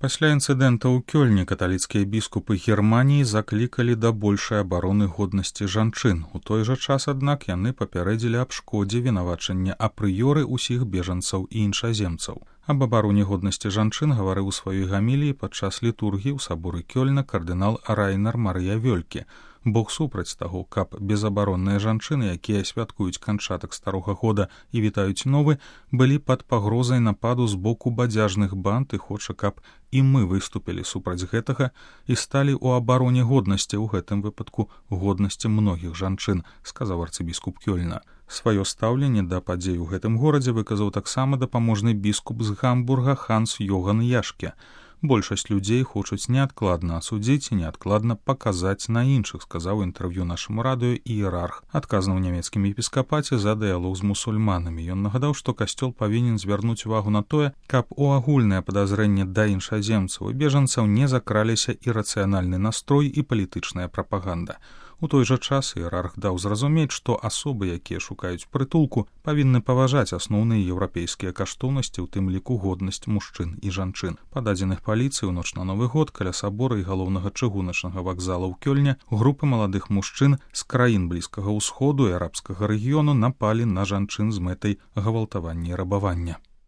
Пасля інцыдэнта ў Кёльні каталіцкія біскупы Германіі заклікалі да большай абароны годнасці жанчын. У той жа час, аднак, яны папярэдзілі аб шкодзе вінавачання апрыёры ўсіх бежанцаў і іншаземцаў. Аб абароне годнасці жанчын гаварыў у сваёй гаміліі падчас літургіі ў саборы Кёльна кардынал Райнер Марыя Вёльке. Бог супраць таго, каб безабаронныя жанчыны, якія святкуюць канчатак старога года і вітаюць новы, былі пад пагрозай нападу з боку бадзяжных банд і хоча, каб і мы выступілі супраць гэтага і сталі ў абароне годнасці, у гэтым выпадку годнасці многіх жанчын, сказаў арцыбіскуп Кёльна. Сваё стаўленне да падзей у гэтым горадзе выказаў таксама дапаможны біскуп з Гамбурга Ханс Йоган Яшке. Большасць людзей хочуць неадкладна асудзіць і неадкладна паказаць на іншых, сказаў інтэрв'ю нашаму радыё іерарх, адказны ў нямецкім епіскапаце за дыялог з мусульманамі. Ён нагадаў, што касцёл павінен звярнуць увагу на тое, каб у агульнае падазрэнне да іншаземцаў і бежанцаў не закраліся ірацыянальны настрой і палітычная прапаганда. У той жа час іерарх даў зразумець, што асобы, якія шукаюць прытулку, павінны паважаць асноўныя еўрапейскія каштоўнасці, у тым ліку годнасць мужчын і жанчын. Па дадзеных паліцыі ў ноч на Новы год каля сабора і галоўнага чыгуначнага вакзала ў Кёльне групы маладых мужчын з краін Блізкага ўсходу і арабскага рэгіёну напалі на жанчын з мэтай гвалтавання і рабавання.